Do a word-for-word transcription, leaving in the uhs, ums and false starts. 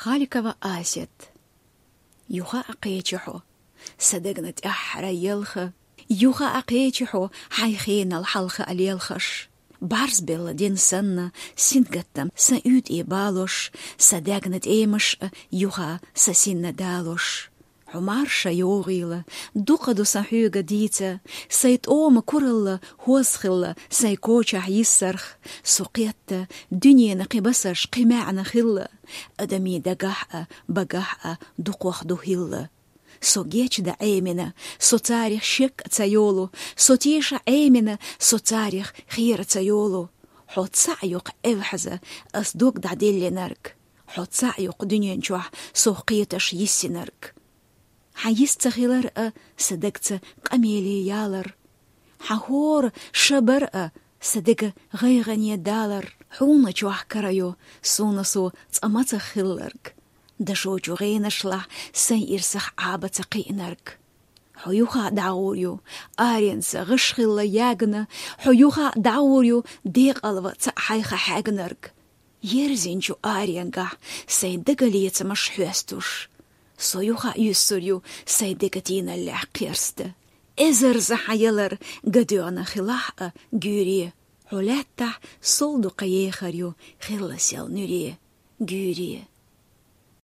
Халикова Асет. Юха а кхечи хьо, са дегна тӀеххьара ялх а, юха а кхечи хьо, хьай хенал хьалха а лелхаш. БӀарзбелла ден санна, сингаттам са уьйтӀе балош, са дегна тӀемаш а юха са синна далош. Хьо марша йогӀийла, дукха ду сан хьоьга дийца, сай тӀома куралла хоза хилла, сай кочахь йиссарх, со кхетта, дуьненан кхин басарш кхин маьӀна хилла, адамий дагахь а, багахь а дукхох ду хилла. Со гечда Ӏемина, со царех шек а ца йолу, со теша Ӏемина, со царех хера ца йолу. Хьо цхьаъ йоккха эвхьаза ас дог дӀаделлинарг. Хьо цхьаъ йоккха дуьнен чохь сох кхеташ йиссинарг. Хьан йист ца хилар а, са дагца къамеле ялар. Хьан хӀора ша бар а, са дега гӀайгӀане далар. Хьуна чохь кара йо, суна со цкъа мацах хилларг. Дашочу гӀенашлахь сайн ирсах Ӏаба ца кхиънарг. Хьо юха дӀагӀур ю, аренца гӀаш хилла ягна, хьо юха дӀагӀур ю, декъалва цхьаъ хьайха хьегнарг. Ерзинчу аренгахь сайн дагалецамаш хьоьстуш. Со юха юьссур ю сайн дега тийналлехь кхерста. Эзарза хьан ялар гадоьгӀна хилахь а, гуьйре. Хьо лаьттахь сол дукха ехар ю хилла сел нуьре. Гуьйре.